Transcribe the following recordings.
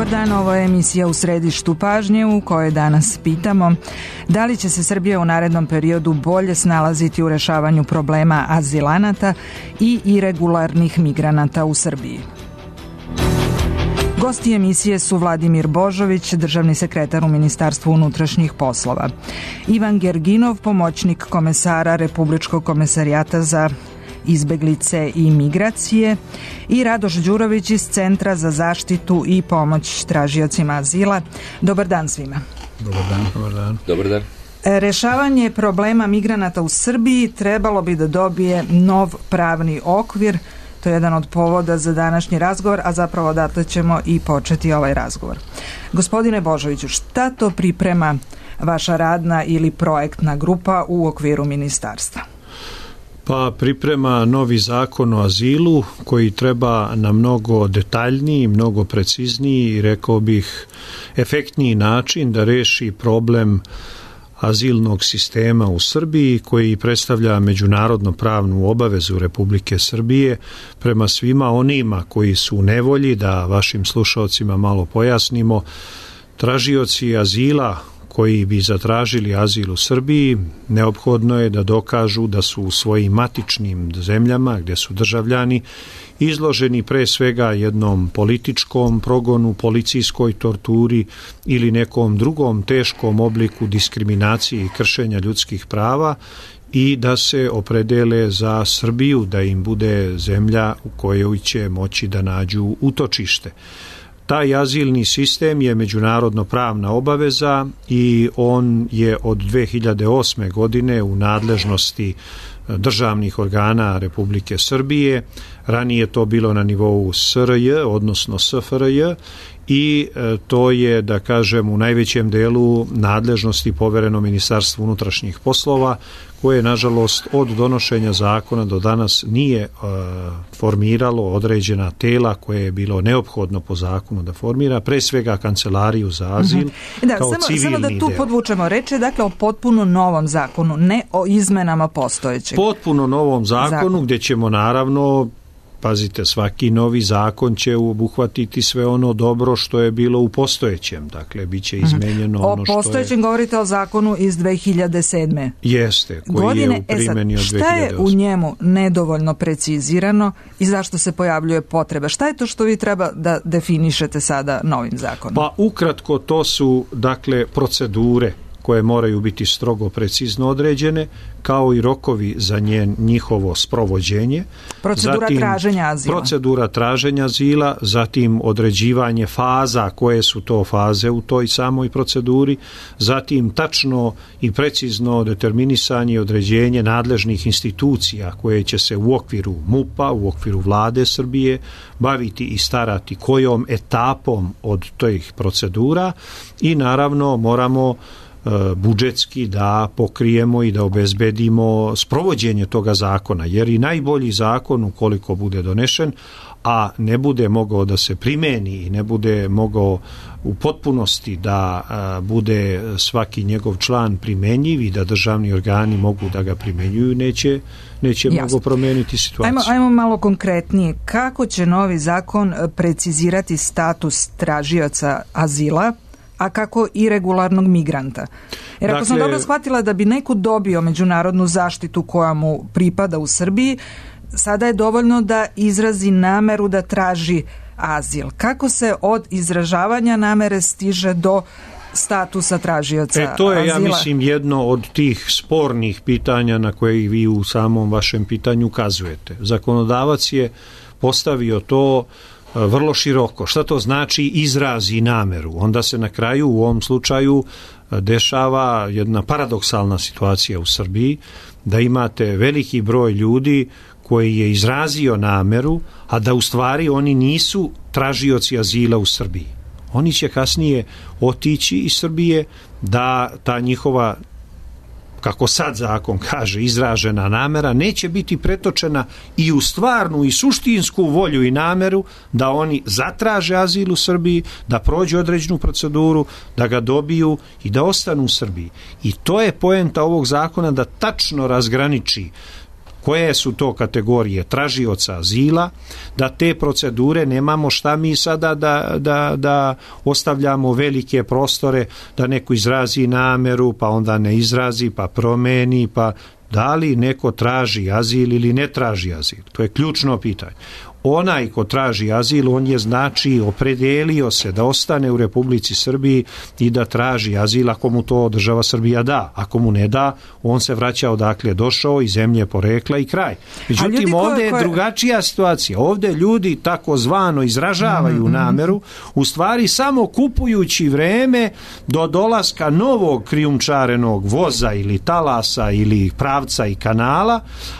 Dobar dan, ovo je emisija U središtu pažnje u kojoj danas pitamo da li će se Srbija u narednom periodu bolje snalaziti u rešavanju problema azilanata i iregularnih migranata u Srbiji. Gosti emisije su Vladimir Božović, državni sekretar u Ministarstvu unutrašnjih poslova, Ivan Gerginov, pomoćnik komesara Republičkog komesarijata za izbeglice i migracije i Radoš Đurović iz Centra za zaštitu i pomoć tražiocima azila. Dobar dan svima. Dobar dan. Dobar dan. Dobar dan. Rešavanje problema migranata u Srbiji trebalo bi da dobije nov pravni okvir. To je jedan od povoda za današnji razgovor, a zapravo odatle ćemo i početi ovaj razgovor. Gospodine Božoviću, šta to priprema vaša radna ili projektna grupa u okviru ministarstva? Pa priprema novi zakon o azilu koji treba na mnogo detaljniji, mnogo precizniji i rekao bih efektniji način da reši problem azilnog sistema u Srbiji koji predstavlja međunarodno pravnu obavezu Republike Srbije prema svima onima koji su u nevolji, da vašim slušalcima malo pojasnimo. Tražioci azila koji bi zatražili azil u Srbiji, neophodno je da dokažu da su u svojim matičnim zemljama, gdje su državljani, izloženi pre svega jednom političkom progonu, policijskoj torturi ili nekom drugom teškom obliku diskriminacije i kršenja ljudskih prava i da se opredele za Srbiju, da im bude zemlja u kojoj će moći da nađu utočište. Taj azilni sistem je međunarodno pravna obaveza i on je od 2008. godine u nadležnosti državnih organa Republike Srbije. Ranije to bilo na nivou SRJ, odnosno SFRJ, i to je, da kažem, u najvećem delu nadležnosti povereno Ministarstvu unutrašnjih poslova, koje, nažalost, od donošenja zakona do danas nije formiralo određena tela koje je bilo neophodno po zakonu da formira, pre svega Kancelariju za azil, kao civilni samo da tu deo. podvučemo reči, dakle o potpuno novom zakonu, ne o izmenama postojećeg. Potpuno novom zakonu gdje ćemo naravno, pazite, svaki novi zakon će obuhvatiti sve ono dobro što je bilo u postojećem. Dakle, bit će izmenjeno ono što je... O postojećem govorite o zakonu iz 2007. Jeste, koji je u primjeni od 2008. Šta je u njemu nedovoljno precizirano i zašto se pojavljuje potreba? Šta je to što vi treba da definišete sada novim zakonom? Pa ukratko, to su, dakle, procedure koje moraju biti strogo precizno određene, kao i rokovi za njihovo sprovođenje. Procedura traženja azila, zatim određivanje faza, koje su to faze u toj samoj proceduri, zatim tačno i precizno determinisanje i određenje nadležnih institucija koje će se u okviru MUP-a, u okviru Vlade Srbije baviti i starati kojom etapom od tih procedura i naravno moramo budžetski da pokrijemo i da obezbedimo sprovođenje toga zakona, jer i najbolji zakon, ukoliko bude donešen, a ne bude mogao da se primeni i ne bude mogao u potpunosti da bude svaki njegov član primenjiv i da državni organi mogu da ga primenjuju, neće mnogo promeniti situaciju. Ajmo malo konkretnije. Kako će novi zakon precizirati status tražioca azila, a kako iregularnog migranta? Jer ako sam dobro shvatila, da bi neko dobio međunarodnu zaštitu koja mu pripada u Srbiji, sada je dovoljno da izrazi nameru da traži azil. Kako se od izražavanja namere stiže do statusa tražioca azila? To je, ja mislim, jedno od tih spornih pitanja na koje vi u samom vašem pitanju ukazujete. Zakonodavac je postavio to vrlo široko. Šta to znači izrazi nameru? Onda se na kraju u ovom slučaju dešava jedna paradoksalna situacija u Srbiji, da imate veliki broj ljudi koji je izrazio nameru, a da u stvari oni nisu tražioci azila u Srbiji. Oni će kasnije otići iz Srbije, da ta njihova, kako sad zakon kaže, izražena namera neće biti pretočena i u stvarnu i suštinsku volju i nameru da oni zatraže azil u Srbiji, da prođu određenu proceduru, da ga dobiju i da ostanu u Srbiji. I to je poenta ovog zakona, da tačno razgraniči koje su to kategorije tražioca azila, da te procedure nemamo šta mi sada da ostavljamo velike prostore, da neko izrazi nameru, pa onda ne izrazi, pa promeni, pa da li neko traži azil ili ne traži azil. To je ključno pitanje. Onaj ko traži azil, on je znači opredelio se da ostane u Republici Srbiji i da traži azil ako mu to država Srbija da. Ako mu ne da, on se vraća odakle je došao i zemlje porekla i kraj. Međutim, ovdje je drugačija situacija. Ovdje ljudi takozvano izražavaju nameru, u stvari samo kupujući vreme do dolaska novog krijumčarenog voza ili talasa ili pravca i kanala,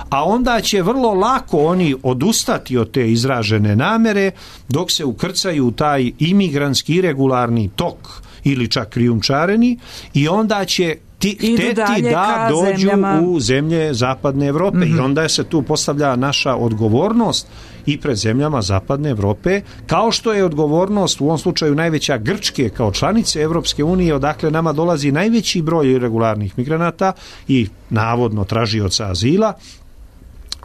a onda će vrlo lako oni odustati od te izražene namere dok se ukrcaju u taj imigrantski iregularni tok ili čak krijumčareni i onda će hteti da dođu u zemlje zapadne Evrope i onda se tu postavlja naša odgovornost i pred zemljama zapadne Evrope, kao što je odgovornost u ovom slučaju najveća Grčke kao članice Evropske unije, odakle nama dolazi najveći broj iregularnih migranata i navodno tražioca azila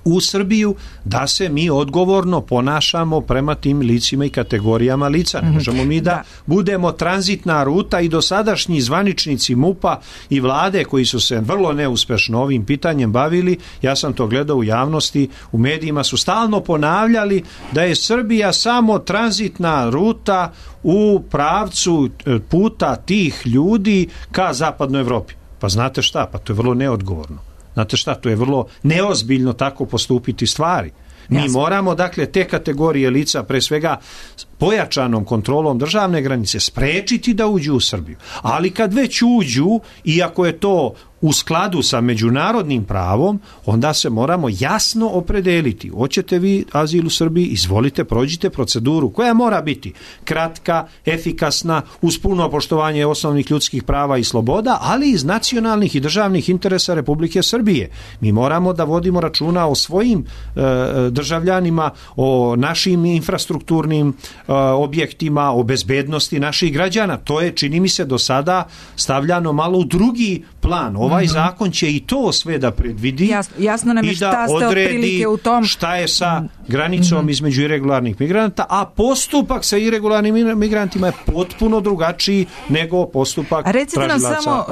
u Srbiju, da se mi odgovorno ponašamo prema tim licima i kategorijama lica. Ne možemo mi da budemo tranzitna ruta i dosadašnji zvaničnici MUP-a i vlade koji su se vrlo neuspešno ovim pitanjem bavili, ja sam to gledao u javnosti, u medijima su stalno ponavljali da je Srbija samo tranzitna ruta u pravcu puta tih ljudi ka zapadnoj Evropi. Pa znate šta, pa to je vrlo neodgovorno. Znate šta, to je vrlo neozbiljno tako postupiti stvari. Mi moramo, dakle, te kategorije lica, pre svega pojačanom kontrolom državne granice, sprečiti da uđu u Srbiju. Ali kad već uđu, iako je to u skladu sa međunarodnim pravom, onda se moramo jasno opredeliti. Hoćete vi azil u Srbiji? Izvolite, prođite proceduru koja mora biti kratka, efikasna, uz puno poštovanje osnovnih ljudskih prava i sloboda, ali iz nacionalnih i državnih interesa Republike Srbije. Mi moramo da vodimo računa o svojim državljanima, o našim infrastrukturnim objektima, o bezbednosti naših građana. To je, čini mi se, do sada stavljano malo u drugi plan. Ovaj zakon će i to sve da predvidi jasno nam je i da odredi u tom šta je sa granicom između iregularnih migranata, a postupak sa iregularnim migrantima je potpuno drugačiji nego postupak tražilaca azila. Recite nam samo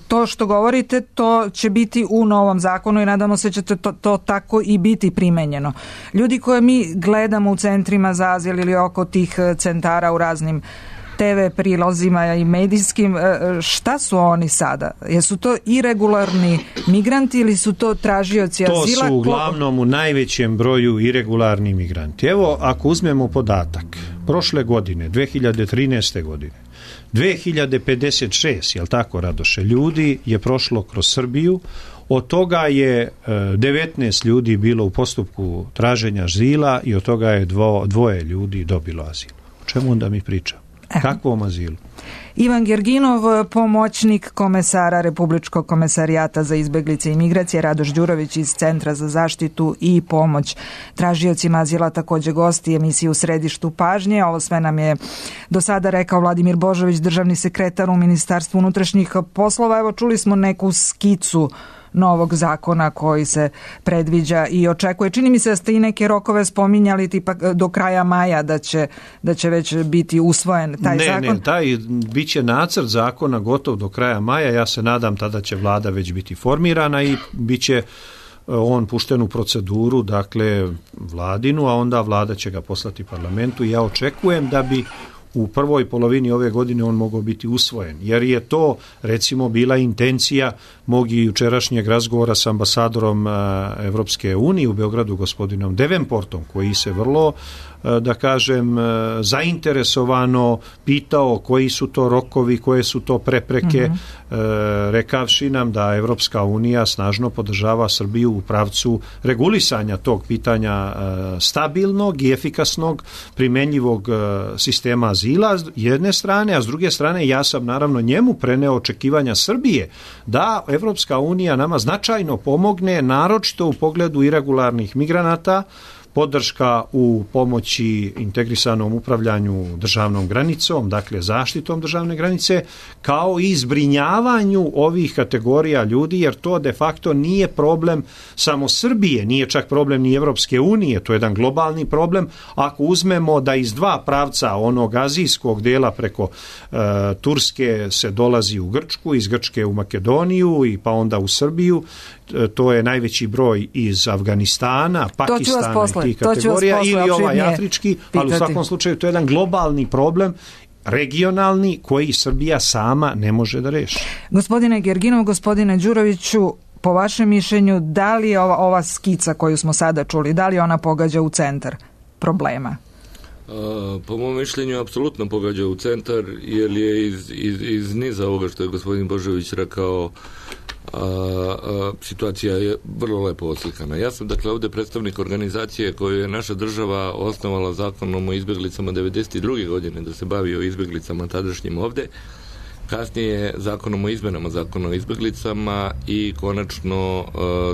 to što govorite, to će biti u novom zakonu i nadamo se će to tako i biti primenjeno. Ljudi koje mi gledamo u centrima za azil ili oko tih centara u raznim TV prilozima i medijskim, šta su oni sada? Jesu to iregularni migranti ili su to tražioci azila? To su uglavnom u najvećem broju iregularni migranti. Evo, ako uzmemo podatak, prošle godine, 2013. godine, 2056, jel tako, Radoše, ljudi je prošlo kroz Srbiju, od toga je 19 ljudi bilo u postupku traženja azila i od toga je dvoje ljudi dobilo azil. O čemu onda mi pričamo? Kakvom azilu? Ivan Gerginov, pomoćnik komesara Republičkog komesarijata za izbeglice i migracije, Radoš Đurović iz Centra za zaštitu i pomoć tražiocima azila, također gosti emisije U središtu pažnje. Ovo sve nam je do sada rekao Vladimir Božović, državni sekretar u Ministarstvu unutrašnjih poslova. Evo, čuli smo neku skicu novog zakona koji se predviđa i očekuje. Čini mi se da ste i neke rokove spominjali, tipa do kraja maja da će već biti usvojen taj zakon. Taj bit će nacrt zakona gotov do kraja maja. Ja se nadam tada će vlada već biti formirana i bit će on pušten u proceduru, dakle vladinu, a onda vlada će ga poslati parlamentu i ja očekujem da bi u prvoj polovini ove godine on mogao biti usvojen, jer je to recimo bila intencija mog i jučerašnjeg razgovora sa ambasadorom Evropske unije u Beogradu, gospodinom Devenportom, koji se vrlo, da kažem, zainteresovano pitao koji su to rokovi, koje su to prepreke, rekavši nam da Evropska unija snažno podržava Srbiju u pravcu regulisanja tog pitanja stabilnog i efikasnog primenjivog sistema azila s jedne strane, a s druge strane ja sam naravno njemu preneo očekivanja Srbije da Evropska unija nama značajno pomogne, naročito u pogledu iregularnih migranata, podrška u pomoći integrisanom upravljanju državnom granicom, dakle zaštitom državne granice, kao i zbrinjavanju ovih kategorija ljudi, jer to de facto nije problem samo Srbije, nije čak problem ni Evropske unije, to je jedan globalni problem. Ako uzmemo da iz dva pravca onog azijskog dela preko Turske se dolazi u Grčku, iz Grčke u Makedoniju i pa onda u Srbiju, to je najveći broj iz Afganistana, Pakistana i tih kategorija, ili ovaj afrički, ali u svakom slučaju to je jedan globalni problem, regionalni, koji Srbija sama ne može da reši. Gospodine Gerginov, gospodine Đuroviću, po vašem mišljenju, da li je ova skica koju smo sada čuli, da li ona pogađa u centar problema? Po mom mišljenju apsolutno pogađa u centar, jer je iz niza ovoga što je gospodin Božović rekao, situacija je vrlo lepo oslikana. Ja sam dakle ovdje predstavnik organizacije koju je naša država osnovala zakonom o izbjeglicama 1992. godine da se bavi o izbjeglicama tadašnjim ovdje, kasnije zakonom o izmenama zakona o izbjeglicama i konačno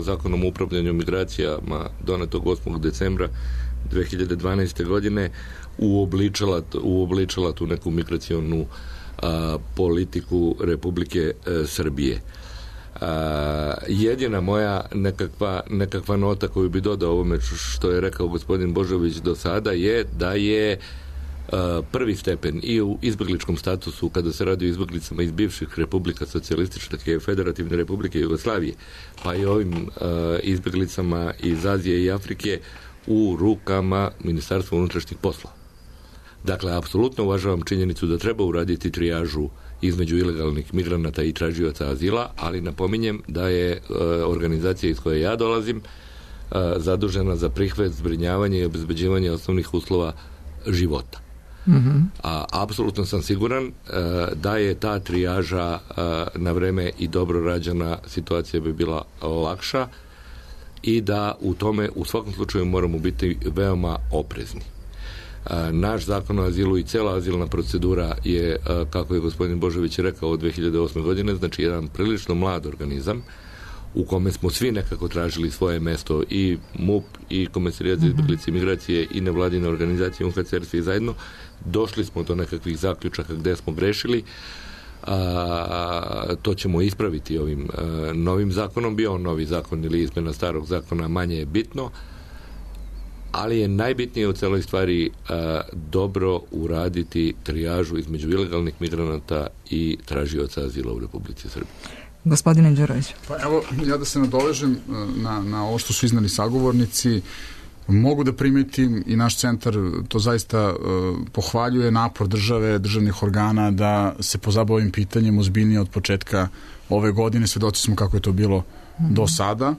zakonom o upravljanju migracijama donetog 8. decembra 2012. godine uobličala tu neku migracionu politiku Republike Srbije. Jedina moja nekakva nota koju bi dodao ovome što je rekao gospodin Božović do sada je da je prvi stepen i u izbjegličkom statusu kada se radi o izbjeglicama iz bivših republika socijalističke Federativne Republike Jugoslavije, pa i ovim izbjeglicama iz Azije i Afrike u rukama Ministarstva unutrašnjih poslova. Dakle, apsolutno uvažavam činjenicu da treba uraditi trijažu između ilegalnih migranata i tražioca azila, ali napominjem da je organizacija iz koje ja dolazim zadužena za prihvat, zbrinjavanje i obezbeđivanje osnovnih uslova života. Apsolutno sam siguran da je ta trijaža na vreme i dobro rađena, situacija bi bila lakša i da u tome u svakom slučaju moramo biti veoma oprezni. Naš zakon o azilu i cela azilna procedura je, kako je gospodin Božović rekao, od 2008. godine, znači jedan prilično mlad organizam u kome smo svi nekako tražili svoje mesto, i MUP, i Komesarijat za izbjeglice i migracije, i nevladine organizacije, UNHCR, svi zajedno. Došli smo do nekakvih zaključaka gde smo grešili. To ćemo ispraviti ovim novim zakonom. Bio on novi zakon ili izmena starog zakona, manje je bitno, ali je najbitnije u celoj stvari dobro uraditi trijažu između ilegalnih migranata i tražioca azila u Republici Srbiji. Gospodine Đurović. Pa evo, ja da se nadovežem na ovo što su iznali sagovornici, mogu da primetim i naš centar to zaista pohvaljuje napor države, državnih organa da se pozabave ovim pitanjem ozbiljnije od početka ove godine. Svedoci smo kako je to bilo do sada.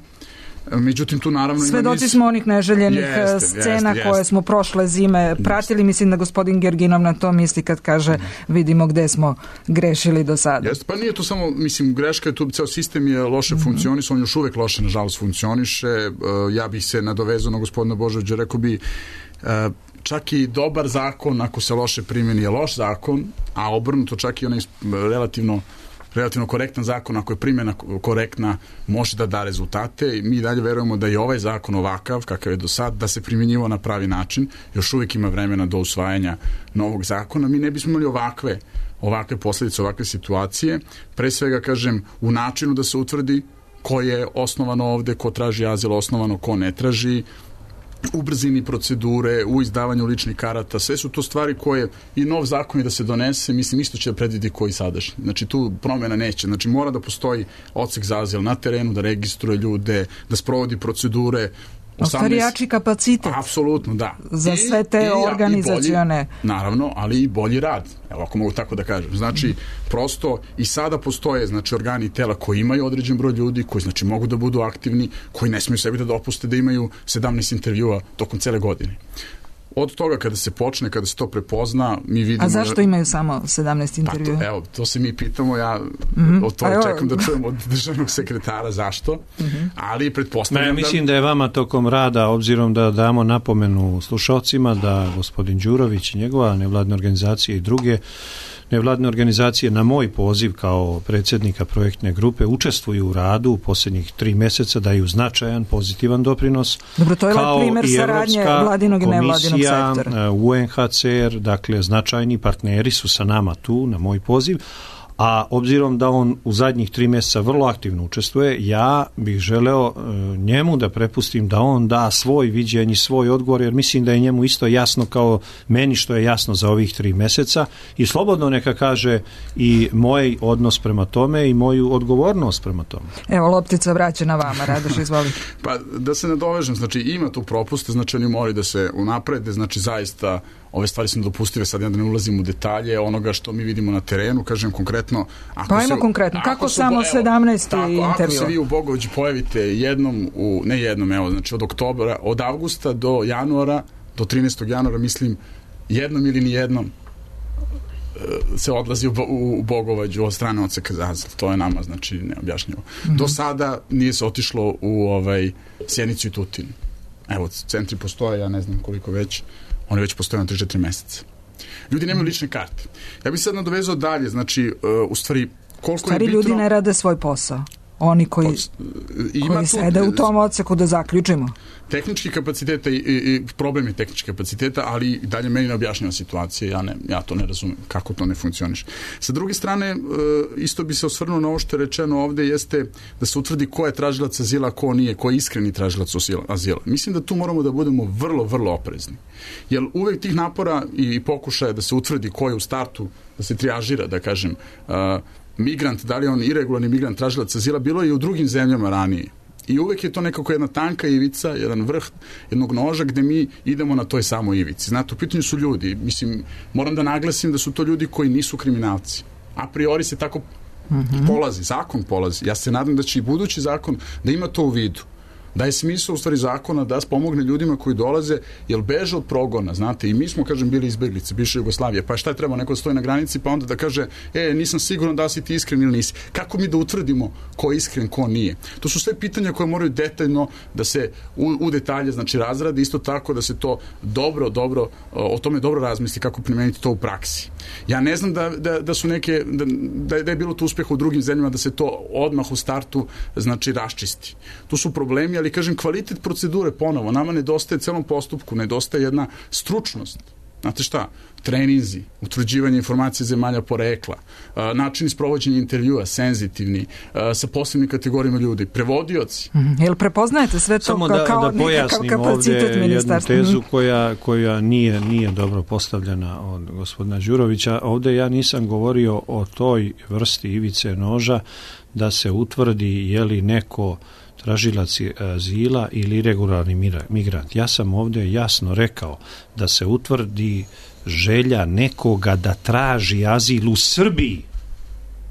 Međutim, tu naravno svedoci smo onih neželjenih scena koje smo prošle zime pratili. Mislim da gospodin Gerginov na to misli kad kaže vidimo gde smo grešili do sada. Pa nije to samo, mislim, greška je tu, ceo sistem je loše funkcionisao, on još uvek loše, nažalost, funkcioniše. Ja bih se nadovezao na gospodina Božovića, rekao bi čak i dobar zakon, ako se loše primjeni, je loš zakon, a obrnuto čak i onaj relativno korektan zakon, ako je primjena korektna, može da da rezultate. I mi dalje verujemo da je ovaj zakon ovakav, kakav je do sad, da se primjenjivao na pravi način. Još uvijek ima vremena do usvajanja novog zakona. Mi ne bismo imali ovakve posljedice, ovakve situacije. Pre svega, kažem, u načinu da se utvrdi ko je osnovano ovde, ko traži azil osnovano, ko ne traži, u brzini procedure, u izdavanju ličnih karata, sve su to stvari koje i nov zakon je da se donese, mislim, isto će da predvidi koji sadašnji. Znači, tu promjena neće. Znači, mora da postoji odsek za azil na terenu, da registruje ljude, da sprovodi procedure. Ostarijači kapacitet. Apsolutno, da. Za sve te organizacione. Naravno, ali i bolji rad. Evo, ako mogu tako da kažem. Znači, prosto i sada postoje, znači, organi i tela koji imaju određen broj ljudi, koji, znači, mogu da budu aktivni, koji ne smiju sebi da dopuste da imaju 17 intervjua tokom cele godine. Od toga kada se počne, kada se to prepozna, mi vidimo... A zašto imaju samo 17 intervjua? Pa evo, to se mi pitamo, ja od toga čekam da čujem od državnog sekretara zašto, ali pretpostavljam mislim da je vama tokom rada, obzirom da damo napomenu slušalcima da gospodin Đurović i njegova nevladna organizacija i druge nevladine organizacije na moj poziv kao predsjednika projektne grupe učestvuju u radu u posljednjih 3 mjeseca, daju značajan, pozitivan doprinos. Dobro, to je primjer saradnje vladinog i nevladinog sektora. UNHCR, dakle značajni partneri su sa nama tu na moj poziv. A obzirom da on u zadnjih 3 mjeseca vrlo aktivno učestvuje, ja bih želeo njemu da prepustim da on da svoj viđenje, svoj odgovor, jer mislim da je njemu isto jasno kao meni što je jasno za ovih 3 mjeseca i slobodno neka kaže i moj odnos prema tome i moju odgovornost prema tome. Evo, loptica vraća vama, Radoš, izvoli. Pa da se nadovežem, znači ima tu propuste, znači oni moraju da se unaprede, znači zaista ove stvari su nedopustive, sad ja da ne ulazim u detalje onoga što mi vidimo na terenu, kažem konkretno. Kako samo 17. intervju? Ako se vi u Bogoviću pojavite od avgusta do januara, do 13. januara, mislim, jednom ili nijednom se odlazi u Bogovađu od strane odseka za azil. To je nama, znači, neobjašnjivo. Do sada nije se otišlo u Sjenicu i Tutin. Evo, centri postoje, ja ne znam koliko već, oni već postoje na 3-4 mjeseca. Ljudi nemaju lične karte. Ja bih sad nadovezao dalje, znači, u stvari, koliko je bitno... ljudi ne rade svoj posao. Oni koji sede u tom odseku, da zaključimo. Tehnički kapaciteta i problem je tehnički kapaciteta, ali dalje meni ne objašnjava situacija, ja to ne razumem, kako to ne funkcioniše. Sa druge strane, isto bi se osvrnuo na ovo što je rečeno ovde, jeste da se utvrdi ko je tražilac azila, ko nije, ko je iskreni tražilac azila. Mislim da tu moramo da budemo vrlo, vrlo oprezni. Jer uvek tih napora i pokušaja da se utvrdi ko je u startu, da se trijažira, da kažem, migrant, da li je on iregularni migrant, tražilac azila, bilo je i u drugim zemljama ranije. I uvek je to nekako jedna tanka ivica, jedan vrh jednog noža gde mi idemo na toj samoj ivici. Znate, u pitanju su ljudi. Mislim, moram da naglasim da su to ljudi koji nisu kriminalci. A priori se tako polazi, zakon polazi. Ja se nadam da će i budući zakon da ima to u vidu. Da je smisao u stvari zakona da pomogne ljudima koji dolaze, jer beže od progona, znate, i mi smo, kažem, bili izbeglice, bivše Jugoslavije, pa šta je trebao, neko stoji na granici pa onda da kaže, nisam siguran da si ti iskren ili nisi. Kako mi da utvrdimo ko je iskren, ko nije? To su sve pitanja koje moraju detaljno da se u detalje, znači, razradi, isto tako da se to dobro, o tome dobro razmisli kako primeniti to u praksi. Ja ne znam da su neke, da je bilo to uspjeha u drugim zemljama da se to odmah u startu, znači, raščisti. Tu su problemi, ali kažem, kvalitet procedure ponovo, nama nedostaje celom postupku, nedostaje jedna stručnost. Znate šta? Treninzi, utvrđivanje informacije zemalja porekla, načini sprovođenja intervjua, senzitivni, sa posebnim kategorijama ljudi, prevodioci. Jel prepoznajete sve to samo kao da pojasnim ovdje jednu tezu koja nije dobro postavljena od gospodina Đurovića. Ovdje ja nisam govorio o toj vrsti ivice noža da se utvrdi je li neko tražilac azila ili iregularni migrant. Ja sam ovdje jasno rekao da se utvrdi želja nekoga da traži azil u Srbiji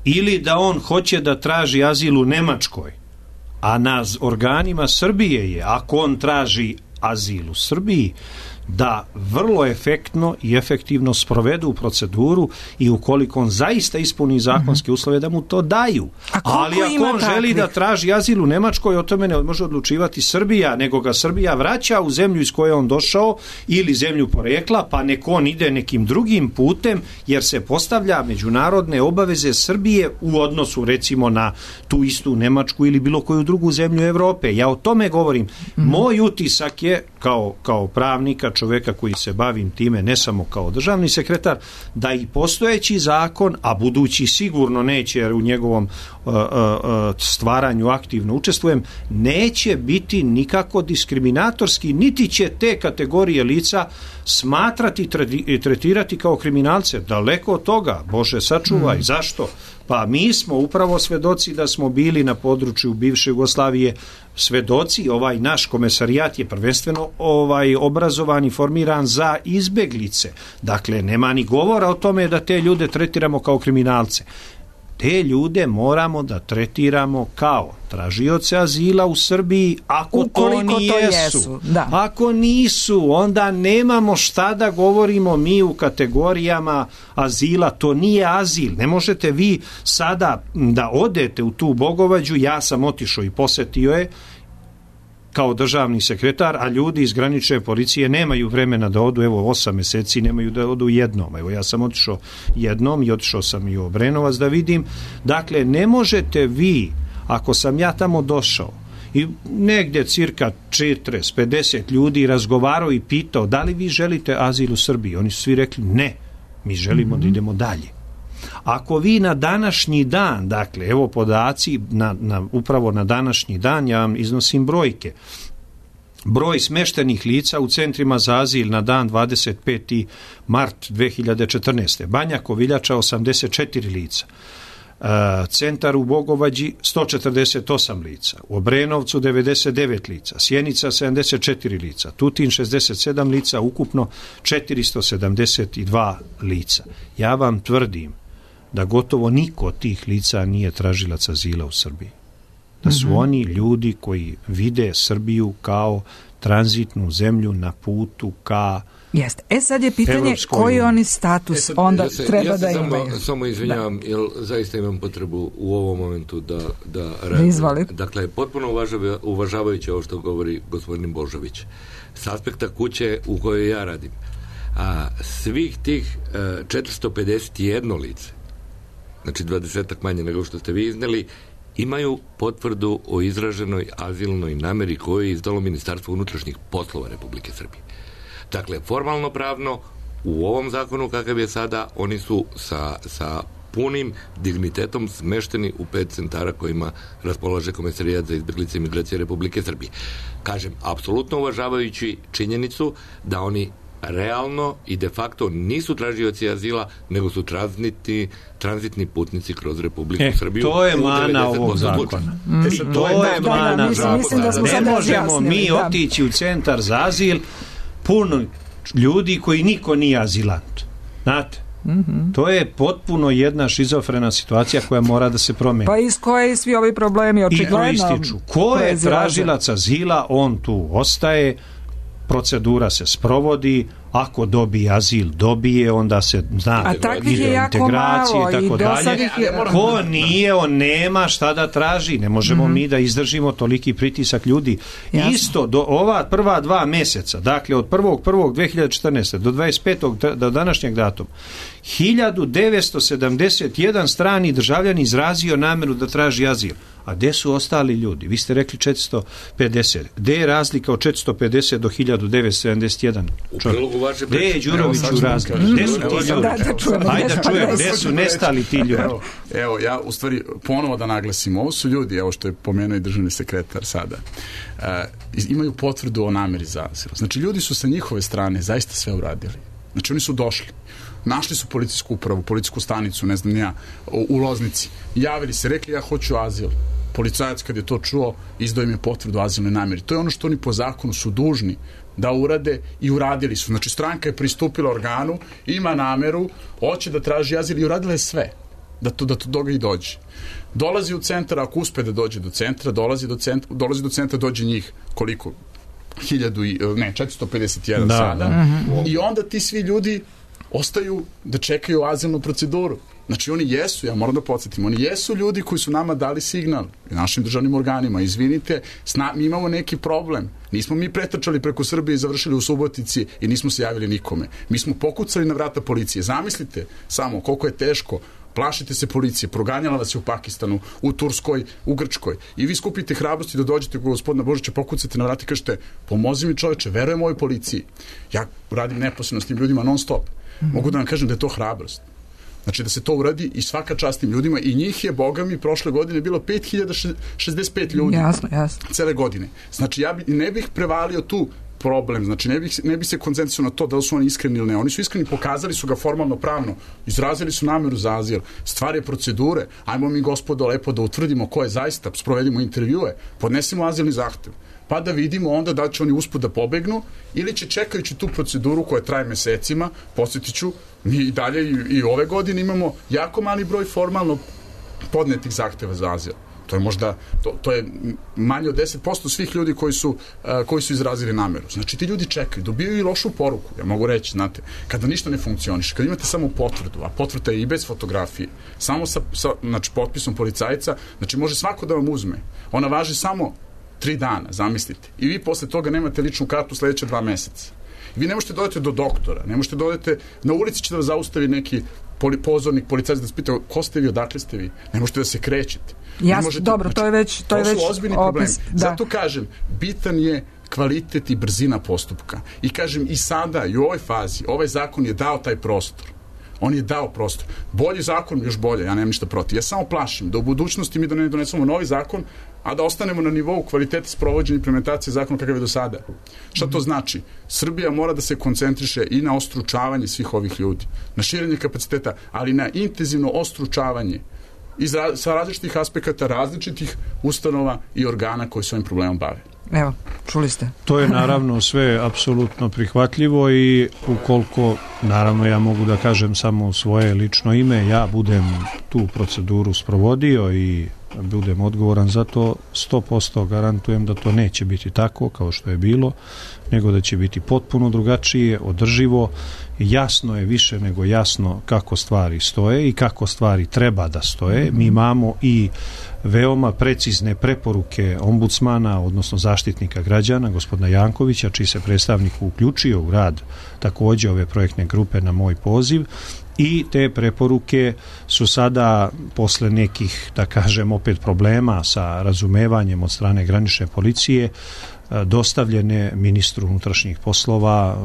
ili da on hoće da traži azil u Nemačkoj, a na organima Srbije je, ako on traži azil u Srbiji, da vrlo efektno i efektivno sprovedu proceduru i ukoliko on zaista ispuni zakonske uslove da mu to daju. Ali ako on želi da traži azil u Nemačkoj, o tome ne može odlučivati Srbija, nego ga Srbija vraća u zemlju iz koje on došao ili zemlju porekla, pa nek on ide nekim drugim putem, jer se postavlja međunarodne obaveze Srbije u odnosu recimo na tu istu Nemačku ili bilo koju drugu zemlju Evrope. Ja o tome govorim. Moj utisak je kao pravnika, čovjeka koji se bavim time, ne samo kao državni sekretar, da i postojeći zakon, a budući sigurno neće, jer u njegovom stvaranju aktivno učestvujem, neće biti nikako diskriminatorski, niti će te kategorije lica smatrati i tretirati kao kriminalce. Daleko od toga, Bože sačuvaj. Zašto? Pa mi smo upravo svedoci da smo bili na području bivše Jugoslavije svedoci, ovaj naš komesarijat je prvenstveno obrazovan i formiran za izbeglice. Dakle, nema ni govora o tome da te ljude tretiramo kao kriminalce. Te ljude moramo da tretiramo kao tražioce azila u Srbiji, ako to nijesu. Ako nisu, onda nemamo šta da govorimo mi u kategorijama azila, to nije azil. Ne možete vi sada da odete u tu Bogovađu, ja sam otišao i posetio je, kao državni sekretar, a ljudi iz granične policije nemaju vremena da odu, evo 8 meseci nemaju da odu jednom. Evo ja sam otišao jednom i otišao sam i u Obrenovac da vidim. Dakle, ne možete vi, ako sam ja tamo došao i negdje cirka 40-50 ljudi razgovarao i pitao da li vi želite azil u Srbiji, oni su svi rekli ne, mi želimo da idemo dalje. Ako vi na današnji dan, dakle, evo podaci, upravo na današnji dan, ja vam iznosim brojke. Broj smeštenih lica u centrima za azil na dan 25. mart 2014. Banja Koviljača 84 lica. Centar u Bogovađi 148 lica, u Obrenovcu 99 lica, Sjenica 74 lica, Tutin 67 lica, ukupno 472 lica. Ja vam tvrdim da gotovo niko od tih lica nije tražilac azila u Srbiji. Da su oni ljudi koji vide Srbiju kao tranzitnu zemlju na putu ka Jeste. Sad je pitanje koji oni status onda treba da imaju. Ja se samo izvinjavam, jer zaista imam potrebu u ovom momentu da reagujem. Dakle, potpuno uvažavajući ovo što govori gospodin Božović, s aspekta kuće u kojoj ja radim, a svih tih 451 lice, znači 20-ak manje nego što ste vi izneli, imaju potvrdu o izraženoj azilnoj nameri koju je izdalo Ministarstvo unutrašnjih poslova Republike Srbije. Dakle, formalno pravno, u ovom zakonu kakav je sada, oni su sa punim dignitetom smešteni u 5 centara kojima raspolaže Komesarijat za izbjeglice i migracije Republike Srbije. Kažem, apsolutno uvažavajući činjenicu da oni realno i de facto nisu tražioci azila, nego su tranzitni putnici kroz Republiku Srbiju. To je mana ovog zakona. To je mana zakona. Ne možemo mi otići u centar za azil puno ljudi koji niko nije azilant. Znate? To je potpuno jedna šizofrena situacija koja mora da se promeni. Pa iz koje svi ovi problemi očigledno ističu. Ko je tražilac azila, on tu ostaje, procedura se sprovodi, ako dobije azil, dobije, onda se zna ide integracije i tako dalje. Ko nije, on nema šta da traži. Ne možemo mi da izdržimo toliki pritisak ljudi. Jasno. Isto, do ova prva 2 meseca, dakle od 1.1.2014. do 25. do današnjeg datuma, 1971 strani državljan izrazio nameru da traži azil. A gde su ostali ljudi? Vi ste rekli 450. Gde je razlika od 450 do 1971? Gde je Đuroviću razlika? Gde su ti ljudi? Ajde da čujem, gde su nestali ti ljudi? Evo, ja u stvari ponovo da naglasim, ovo su ljudi, evo što je pomenuo i državni sekretar sada, imaju potvrdu o nameri za azil. Znači, ljudi su sa njihove strane zaista sve uradili. Znači, oni su došli. Našli su policijsku upravu, policijsku stanicu, ne znam ja, u Loznici. Javili se, rekli ja hoću azil. Policajac kad je to čuo, izdao im je potvrdu o azilnoj nameri. To je ono što oni po zakonu su dužni da urade i uradili su. Znači, stranka je pristupila organu, ima nameru, hoće da traži azil i uradila je sve da to toga i dođe. Dolazi u centar, ako uspe da dođe do centra, dolazi do centra, dođe njih koliko? 451 sada. I onda ti svi ljudi ostaju da čekaju azilnu proceduru. Znači oni jesu, ja moram da podsjetim, oni jesu ljudi koji su nama dali signal, našim državnim organima, izvinite, mi imamo neki problem. Nismo mi pretrčali preko Srbije i završili u Subotici i nismo se javili nikome. Mi smo pokucali na vrata policije. Zamislite samo koliko je teško. Plašite se policije, proganjala vas je u Pakistanu, u Turskoj, u Grčkoj. I vi skupite hrabrosti da dođete kod gospodina Božića, pokucate na vrata i kažete, pomozi mi čoveče, verujem ovoj policiji. Ja radim neposredno s tim ljudima non stop. Mogu da vam kažem da je to hrabrost. Znači da se to uradi i svaka čast tim ljudima i njih je, boga mi, prošle godine bilo 5065 ljudi. Jasno. Cele godine. Znači ja ne bih prevalio tu problem, znači ne bi se koncentrisao na to da li su oni iskreni ili ne. Oni su iskreni, pokazali su ga formalno pravno, izrazili su nameru za azil, stvar je procedure, ajmo mi gospodo lepo da utvrdimo ko je zaista, sprovedimo intervjue, podnesimo azilni zahtev, pa da vidimo onda da će oni usput da pobegnu ili će čekajući tu proceduru koja traje mesecima, podsjetiću, mi i dalje i ove godine imamo jako mali broj formalno podnetih zahteva za azil. To je možda, to je manje od 10% svih ljudi koji su izrazili nameru. Znači ti ljudi čekaju, dobijaju i lošu poruku, ja mogu reći, znate, kada ništa ne funkcioniše, kada imate samo potvrdu, a potvrda je i bez fotografije, samo sa potpisom policajca, znači može svako da vam uzme. Ona važi samo 3 dana, zamislite. I vi posle toga nemate ličnu kartu sledeće 2 meseca. Vi ne možete dodati do doktora, ne možete dodati, na ulici ćete da zaustavi neki pozornik, policajac da se pita ko ste vi, odakle ste vi. Ne možete da se krećete. Dobro, to je već to su ozbiljni problemi. Zato kažem, bitan je kvalitet i brzina postupka. I kažem, i sada, i u ovoj fazi, ovaj zakon je dao taj prostor. On je dao prostor. Bolji zakon, još bolje, ja nemam ništa protiv. Ja samo plašim da u budućnosti mi ne donesemo novi zakon, a da ostanemo na nivou kvaliteta sprovođenja implementacije zakona kakav je do sada. Šta to znači? Srbija mora da se koncentriše i na ostručavanje svih ovih ljudi, na širenje kapaciteta, ali na intenzivno ostručavanje sa različitih aspekata, različitih ustanova i organa koji se ovim problemom bave. Evo, čuli ste. To je naravno sve apsolutno prihvatljivo i ukoliko, naravno ja mogu da kažem samo u svoje lično ime, ja budem tu proceduru sprovodio i budem odgovoran za to, 100% garantujem da to neće biti tako kao što je bilo, nego da će biti potpuno drugačije, održivo. Jasno je, više nego jasno kako stvari stoje i kako stvari treba da stoje. Mi imamo i veoma precizne preporuke ombudsmana, odnosno zaštitnika građana, gospodina Jankovića, čiji se predstavnik uključio u rad takođe ove projektne grupe na moj poziv, i te preporuke su sada, posle nekih, da kažem, opet problema sa razumevanjem od strane granične policije, dostavljene ministru unutrašnjih poslova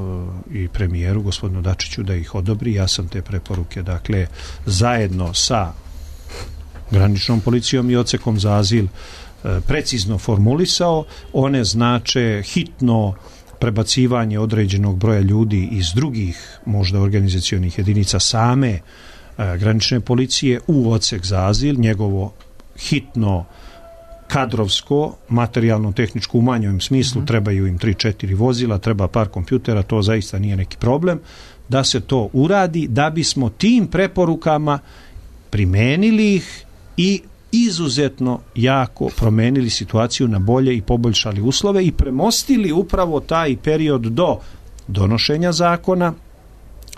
i premijeru, gospodinu Dačiću, da ih odobri. Ja sam te preporuke, dakle, zajedno sa graničnom policijom i odsekom za azil precizno formulisao. One znače hitno prebacivanje određenog broja ljudi iz drugih, možda organizacionih jedinica same granične policije u odsek za azil, njegovo hitno kadrovsko, materijalno-tehničko u manjem smislu, trebaju im 3-4 vozila, treba par kompjutera, to zaista nije neki problem, da se to uradi, da bismo tim preporukama primenili ih i izuzetno jako promenili situaciju na bolje i poboljšali uslove i premostili upravo taj period do donošenja zakona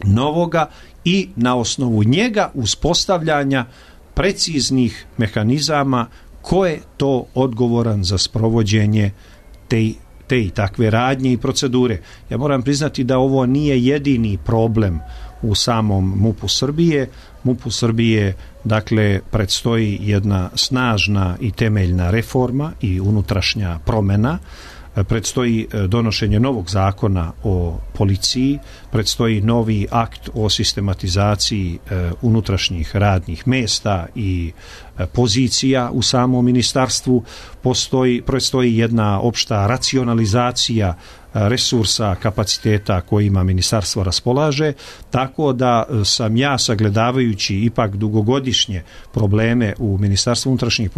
novoga i na osnovu njega uspostavljanja preciznih mehanizama ko je to odgovoran za sprovođenje te i takve radnje i procedure. Ja moram priznati da ovo nije jedini problem u samom MUP-u Srbije. MUP-u Srbije, dakle, predstoji jedna snažna i temeljna reforma i unutrašnja promena. Predstoji donošenje novog zakona o policiji, predstoji novi akt o sistematizaciji unutrašnjih radnih mesta i pozicija u samom ministarstvu, predstoji jedna opšta racionalizacija resursa, kapaciteta kojima ministarstvo raspolaže, tako da sam ja, sagledavajući ipak dugogodišnje probleme u Ministarstvu unutrašnjih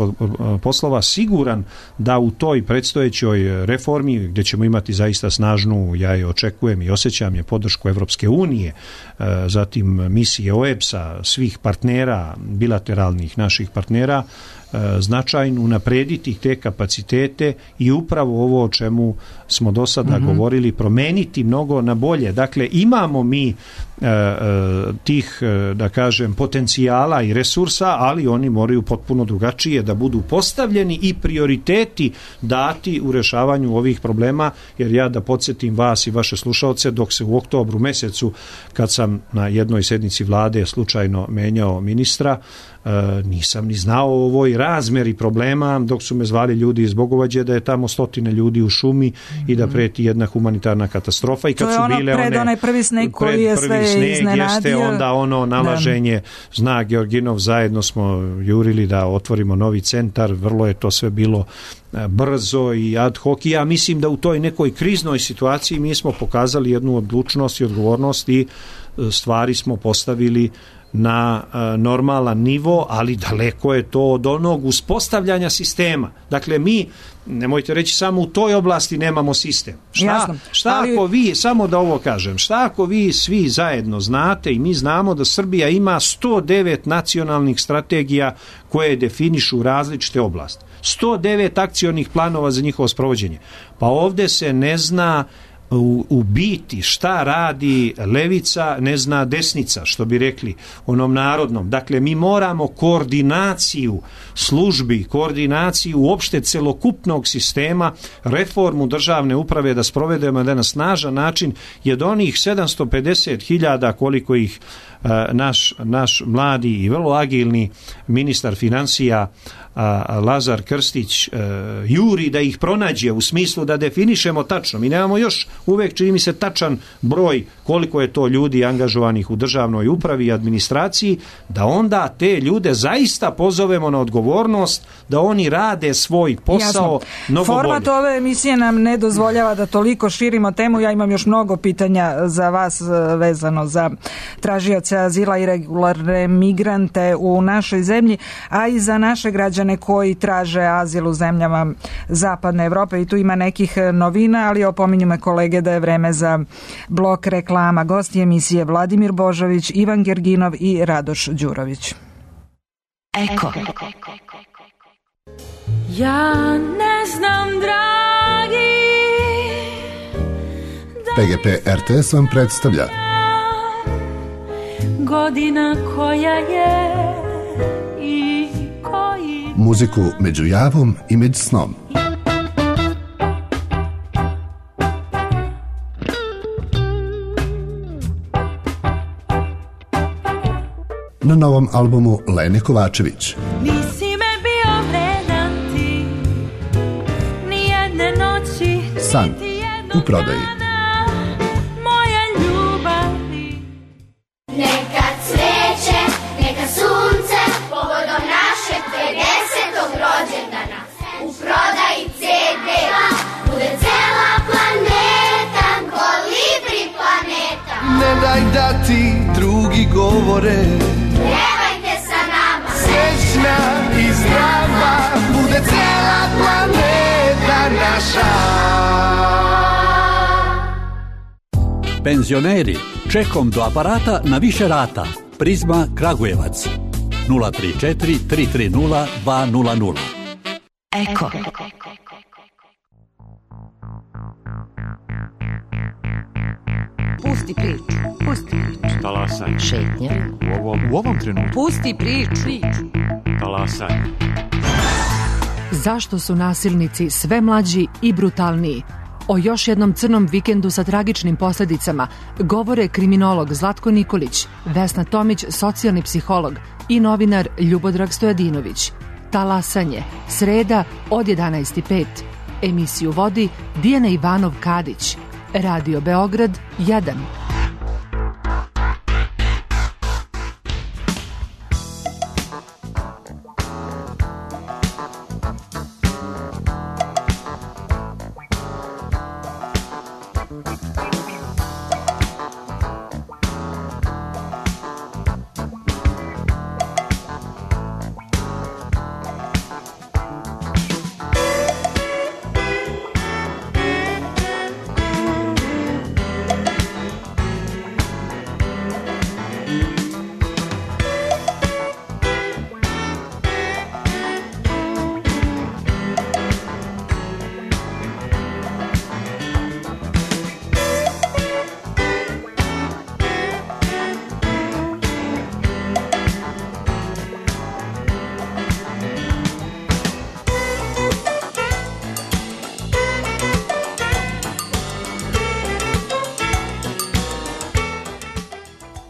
poslova, siguran da u toj predstojećoj reformi, gdje ćemo imati zaista snažnu, ja je očekujem i osjećam je, podršku Evropske unije, zatim misije OEBS-a, svih partnera, bilateralnih naših partnera, značajno unaprediti te kapacitete i upravo ovo o čemu smo do sada govorili, promeniti mnogo na bolje. Dakle, imamo mi tih, da kažem, potencijala i resursa, ali oni moraju potpuno drugačije da budu postavljeni i prioriteti dati u rešavanju ovih problema, jer ja, da podsjetim vas i vaše slušaoce, dok se u oktobru mesecu, kad sam na jednoj sednici vlade slučajno menjao ministra, nisam ni znao o ovoj razmeri problema, dok su me zvali ljudi iz Bogovađe da je tamo 100 ljudi u šumi i da preti jedna humanitarna katastrofa. I kad to je ono pred onaj prvi sneg koji je sve iznenadio. Onda ono nalaženje, zna Georginov, zajedno smo jurili da otvorimo novi centar, vrlo je to sve bilo brzo i ad hoc, i ja mislim da u toj nekoj kriznoj situaciji mi smo pokazali jednu odlučnost i odgovornost i stvari smo postavili na normalan nivo, ali daleko je to od onog uspostavljanja sistema. Dakle, mi, nemojte reći samo u toj oblasti nemamo sistem. Šta ako vi, samo da ovo kažem, šta ako vi svi zajedno znate i mi znamo da Srbija ima 109 nacionalnih strategija koje definišu različite oblasti. 109 akcionih planova za njihovo sprovođenje. Pa ovde se ne zna u biti šta radi levica ne zna desnica, što bi rekli onom narodnom. Dakle, mi moramo koordinaciju službi, koordinaciju uopšte celokupnog sistema, reformu državne uprave da sprovedemo da na snažan način, jer onih 750.000 koliko ih naš mladi i vrlo agilni ministar financija Lazar Krstić juri da ih pronađe, u smislu da definišemo tačno. Mi nemamo još uvek, čini mi se, tačan broj koliko je to ljudi angažovanih u državnoj upravi i administraciji, da onda te ljude zaista pozovemo na odgovornost, da oni rade svoj posao mnogo bolje. Format ove emisije nam ne dozvoljava da toliko širimo temu. Ja imam još mnogo pitanja za vas vezano za tražioce azila i regularne migrante u našoj zemlji, a i za naše građane koji traže azil u zemljama Zapadne Evrope, i tu ima nekih novina, ali opominju me kolege da je vreme za blok reklama. Gosti emisije Vladimir Božović, Ivan Gerginov i Radoš Đurović. Eko. Ja ne znam, dragi, PGP RTS vam predstavlja godina koja je i koji muziku među javom i među snom. Na novom albumu Lene Kovačević. Nisi me bio vredan ti, nijedne noći, San u prodaji. moja ljubavi. Neka cveće, neka sunce, povodom našeg 50. rođendana. U prodaji CD bude cela planeta, kolibri planeta. Ne daj da ti drugi govore, Pjevajte sa nama, srećna i zdrava bude cela planeta naša. Penzioneri, čekom do aparata na više rata. Prizma Kragujevac 034 330 200. Eko. Pusti priču. Pusti priču. Talasaj. Šetnja. U ovom trenutku. Pusti priču. Talasaj. Zašto su nasilnici sve mlađi i brutalniji? O još jednom crnom vikendu sa tragičnim posljedicama govore kriminolog Zlatko Nikolić, Vesna Tomić, socijalni psiholog i novinar Ljubodrag Stojadinović. Talasanje, sreda od 11:05. Emisiju vodi Dijana Ivanov-Kadić. Radio Beograd 1.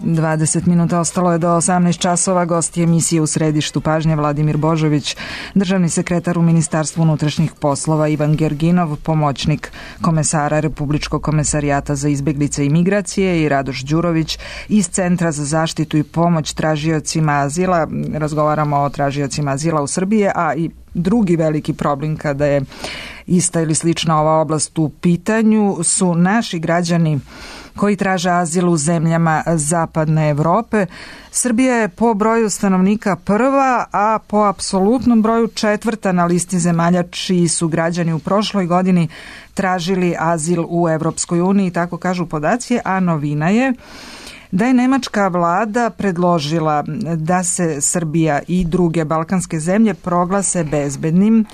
Dvadeset minuta ostalo je do 18 časova. Gosti emisije u središtu pažnje Vladimir Božović, državni sekretar u Ministarstvu unutrašnjih poslova Ivan Gerginov, pomoćnik komesara Republičkog komesarijata za izbjeglice i migracije, i Radoš Đurović iz Centra za zaštitu i pomoć tražiocima azila. Razgovaramo o tražiocima azila u Srbiji, a i drugi veliki problem kada je ista ili slična ova oblast u pitanju su naši građani koji traže azil u zemljama Zapadne Evrope. Srbija je po broju stanovnika prva, a po apsolutnom broju četvrta na listi zemalja čiji su građani u prošloj godini tražili azil u Evropskoj uniji, tako kažu podaci, a novina je da je nemačka vlada predložila da se Srbija i druge balkanske zemlje proglase bezbednim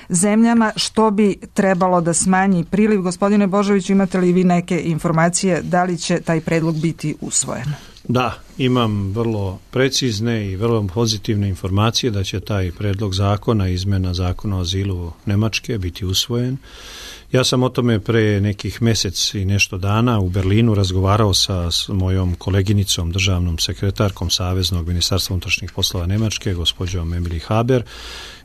zemljama, što bi trebalo da smanji priliv. Gospodine Božoviću, imate li vi neke informacije da li će taj predlog biti usvojen? Da, imam vrlo precizne i vrlo pozitivne informacije da će taj predlog zakona, izmena zakona o azilu Nemačke biti usvojen. Ja sam o tome pre nekih mesec i nešto dana u Berlinu razgovarao sa mojom koleginicom, državnom sekretarkom Saveznog ministarstva unutrašnjih poslova Nemačke, gospođom Emily Haber,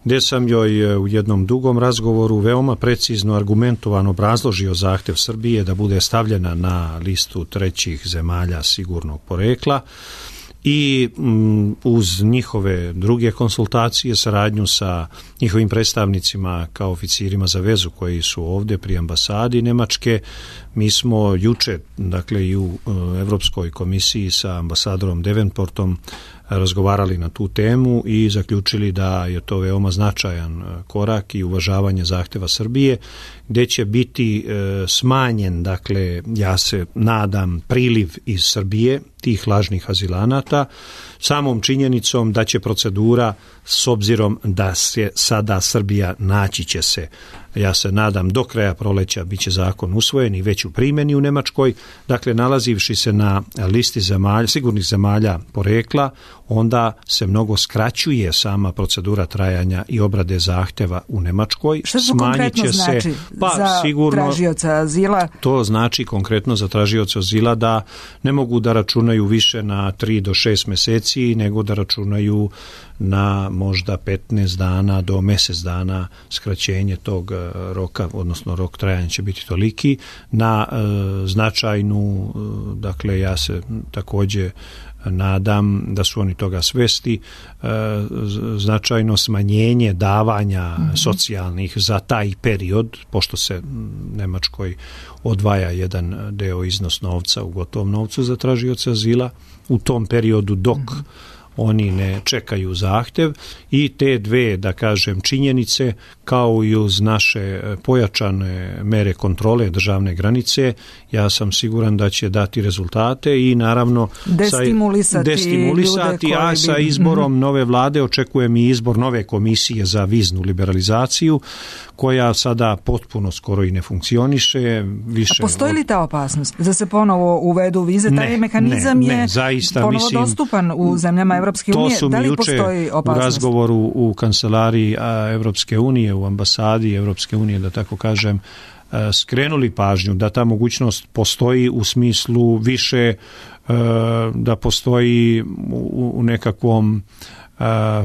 gdje sam joj u jednom dugom razgovoru veoma precizno, argumentovano obrazložio zahtev Srbije da bude stavljena na listu trećih zemalja sigurnog porekla i uz njihove druge konsultacije, saradnju sa njihovim predstavnicima kao oficirima za vezu koji su ovdje pri ambasadi Nemačke, mi smo juče, dakle i u Evropskoj komisiji sa ambasadorom Devenportom razgovarali na tu temu i zaključili da je to veoma značajan korak i uvažavanje zahteva Srbije, gdje će biti smanjen, dakle, ja se nadam, priliv iz Srbije tih lažnih azilanata, samom činjenicom da će procedura, s obzirom da se sada Srbija naći će se, ja se nadam, do kraja proleća bit će zakon usvojen i već u primjeni u Nemačkoj, dakle nalazivši se na listi zemalja, sigurnih zemalja porekla, onda se mnogo skraćuje sama procedura trajanja i obrade zahteva u Nemačkoj. Što to konkretno znači za tražioca azila? To znači konkretno za tražioca azila da ne mogu da računaju više na 3 do 6 meseci, nego da računaju na možda 15 dana do mjesec dana skraćenje tog roka, odnosno rok trajanja će biti toliki, na značajnu, dakle ja se također nadam da su oni toga svesti, značajno smanjenje davanja socijalnih za taj period, pošto se Nemačkoj odvaja jedan deo iznos novca u gotovom novcu za tražioce azila u tom periodu dok oni ne čekaju zahtev, i te dve, da kažem, činjenice, kao i uz naše pojačane mere kontrole državne granice, ja sam siguran da će dati rezultate i naravno destimulisati, a sa izborom nove vlade očekujem i izbor nove komisije za viznu liberalizaciju, koja sada potpuno skoro i ne funkcioniše. Više a postoji li ta opasnost da se ponovo uvedu vize? Taj mehanizam je zaista, ponovo dostupan u zemljama Evropske unije. Da li postoji opasnost? U razgovoru u kancelariji Evropske unije, u ambasadi Evropske unije, da tako kažem, skrenuli pažnju da ta mogućnost postoji u smislu više da postoji u nekakvom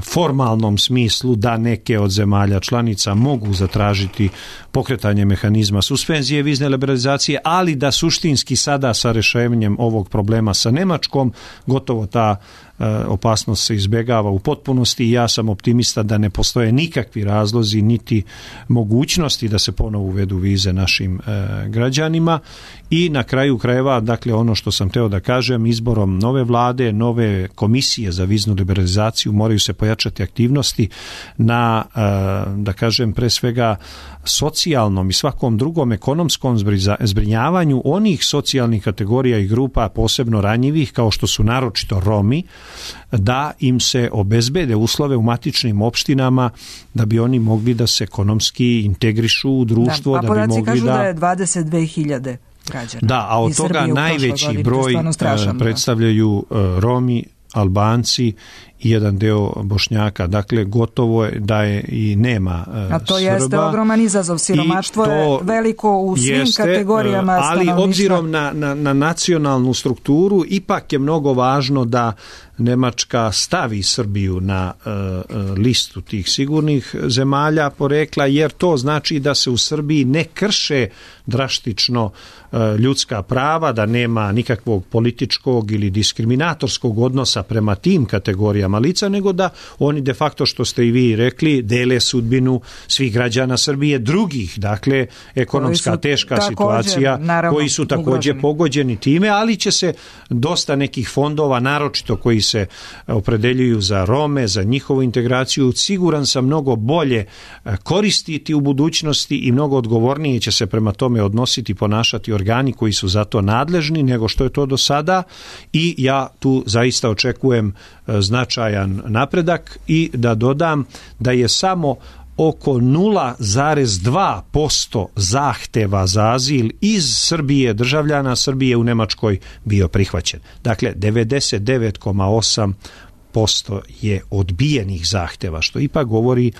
formalnom smislu da neke od zemalja članica mogu zatražiti pokretanje mehanizma suspenzije vizne liberalizacije, ali da suštinski sada sa rješenjem ovog problema sa Nemačkom gotovo ta opasnost se izbjegava u potpunosti i ja sam optimista da ne postoje nikakvi razlozi niti mogućnosti da se ponovo uvedu vize našim građanima. I na kraju krajeva, dakle ono što sam hteo da kažem, izborom nove vlade, nove komisije za viznu liberalizaciju moraju se pojačati aktivnosti na, da kažem, pre svega socijalnom i svakom drugom ekonomskom zbrinjavanju onih socijalnih kategorija i grupa posebno ranjivih, kao što su naročito Romi, da im se obezbede uslove u matičnim opštinama da bi oni mogli da se ekonomski integrišu u društvo. Da, podaci kažu da je 22.000 građana. Da, a od toga najveći broj predstavljaju Romi, Albanci i jedan deo Bošnjaka. Dakle, gotovo je da je i nema Srba. A to jeste ogroman izazov. Siromaštvo je veliko u svim kategorijama stanovništva. Ali obzirom na nacionalnu strukturu, ipak je mnogo važno da Nemačka stavi Srbiju na listu tih sigurnih zemalja porekla, jer to znači da se u Srbiji ne krše drastično ljudska prava, da nema nikakvog političkog ili diskriminatorskog odnosa prema tim kategorijama lica, nego da oni de facto, što ste i vi rekli, dele sudbinu svih građana Srbije, drugih, dakle, ekonomska teška situacija, koji su također pogođeni time, ali će se dosta nekih fondova, naročito koji se opredeljuju za Rome, za njihovu integraciju, siguran sam mnogo bolje koristiti u budućnosti i mnogo odgovornije će se prema tome odnositi, ponašati organi koji su za to nadležni nego što je to do sada, i ja tu zaista očekujem značajan napredak. I da dodam da je samo oko 0,2% zahteva za azil iz Srbije, državljana Srbije u Nemačkoj bio prihvaćen. Dakle, 99,8% je odbijenih zahteva, što ipak govori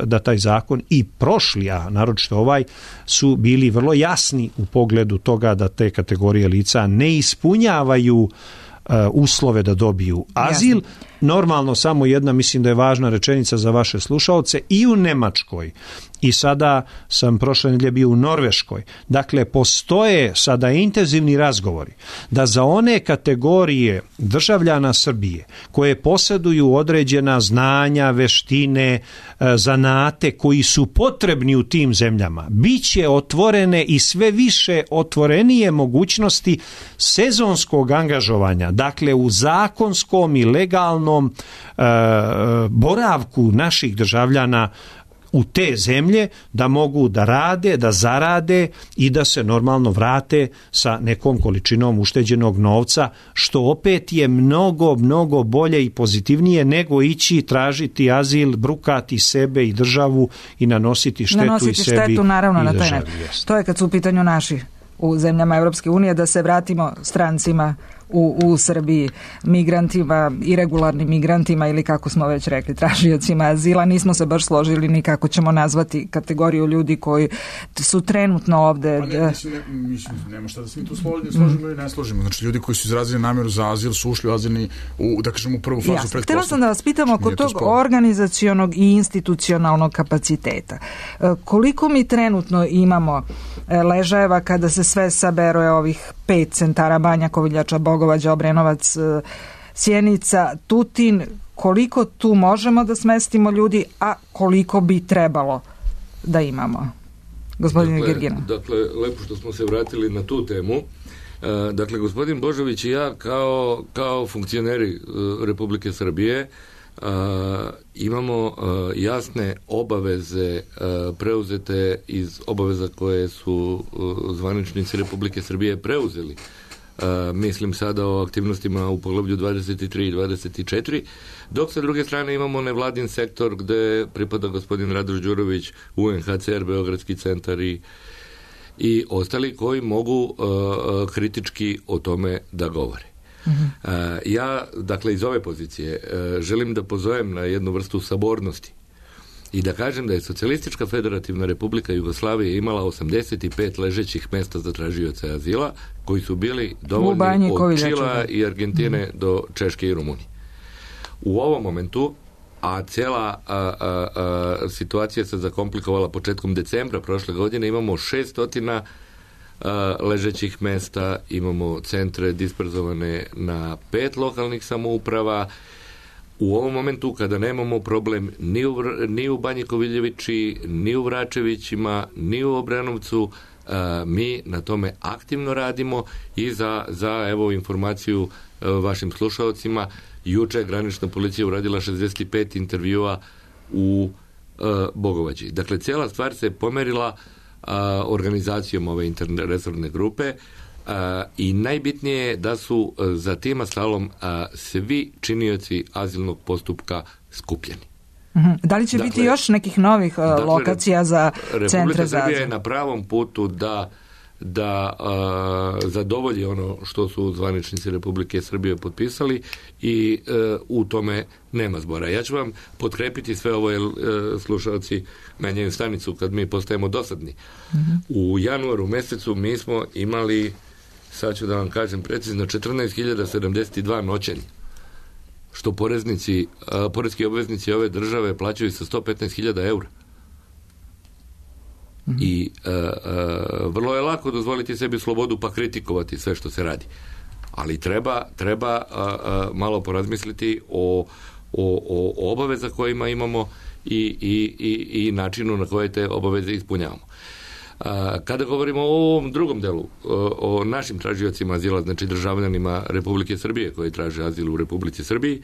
da taj zakon i prošli, a naročito ovaj, su bili vrlo jasni u pogledu toga da te kategorije lica ne ispunjavaju uslove da dobiju azil. Jasne. Normalno, samo jedna, mislim da je važna rečenica za vaše slušaoce, i u Nemačkoj, i sada sam prošle nedelje bio u Norveškoj. Dakle, postoje sada intenzivni razgovori da za one kategorije državljana Srbije koje posjeduju određena znanja, veštine, zanate koji su potrebni u tim zemljama, bit će otvorene i sve više otvorenije mogućnosti sezonskog angažovanja, dakle u zakonskom i legalnom boravku naših državljana u te zemlje, da mogu da rade, da zarade i da se normalno vrate sa nekom količinom ušteđenog novca, što opet je mnogo, mnogo bolje i pozitivnije nego ići tražiti azil, brukati sebe i državu i nanositi štetu i sebi naravno, i na državi. Taj to je kad su u pitanju naši u zemljama Europske unije, da se vratimo strancima u Srbiji, migrantima, irregularnim migrantima ili kako smo već rekli, tražiocima azila. Nismo se baš složili ni kako ćemo nazvati kategoriju ljudi koji su trenutno ovde. Pa nema šta da se mi tu složimo ili ne složimo. Znači, ljudi koji su izrazili namjeru za azil su ušli u azilni, da kažem, u prvu fazu pretpostavke. Htjela sam da vas pitam oko tog organizacionog i institucionalnog kapaciteta. Koliko mi trenutno imamo ležajeva kada se sve sabere ovih 5 centara, Banja, Koviljača, Bogovađa, Obrenovac, Sjenica, Tutin, koliko tu možemo da smestimo ljudi, a koliko bi trebalo da imamo? Gospodine Gergino. Dakle, lepo što smo se vratili na tu temu. Dakle, gospodin Božović i ja kao funkcioneri Republike Srbije imamo jasne obaveze preuzete iz obaveza koje su zvaničnici Republike Srbije preuzeli. Mislim sada o aktivnostima u poglavlju 23 i 24, dok sa druge strane imamo nevladin sektor gde pripada gospodin Radoš Đurović, UNHCR, Beogradski centar i ostali koji mogu kritički o tome da govore. Ja, dakle, iz ove pozicije želim da pozovem na jednu vrstu sabornosti i da kažem da je Socijalistička federativna Republika Jugoslavije imala 85 ležećih mesta za tražioce azila koji su bili dovoljni od Čila i Argentine do Češke i Rumunije. U ovom momentu, a cijela situacija se zakomplikovala početkom decembra prošle godine, imamo 600 ležećih mesta, imamo centre disperzovane na 5 lokalnih samouprava. U ovom momentu kada nemamo problem ni u Banji Koviljevići, ni u Vračevićima, ni u Obrenovcu, mi na tome aktivno radimo i za evo informaciju vašim slušalcima, juče je granična policija uradila 65 intervjua u Bogovađi. Dakle, cijela stvar se pomerila organizacijom ove interresorne grupe i najbitnije je da su za tim asalom svi činioci azilnog postupka skupljeni. Da li će biti još nekih novih lokacija za centre za azil? Republika Srbija je na pravom putu da zadovolji ono što su zvaničnici Republike Srbije potpisali i u tome nema zbora. Ja ću vam potkrepiti sve ovo, jer slušalci menjaju stanicu kad mi postajemo dosadni. U januaru mesecu mi smo imali, sad ću da vam kažem precizno, 14.072 noćenja, što poreski obveznici ove države plaćaju sa 115.000 eura. I vrlo je lako dozvoliti sebi slobodu pa kritikovati sve što se radi. Ali treba malo porazmisliti o obaveza kojima imamo i načinu na koje te obaveze ispunjavamo. Kada govorimo o ovom drugom delu, o našim tražiocima azila, znači državljanima Republike Srbije koji traže azil u Republici Srbiji,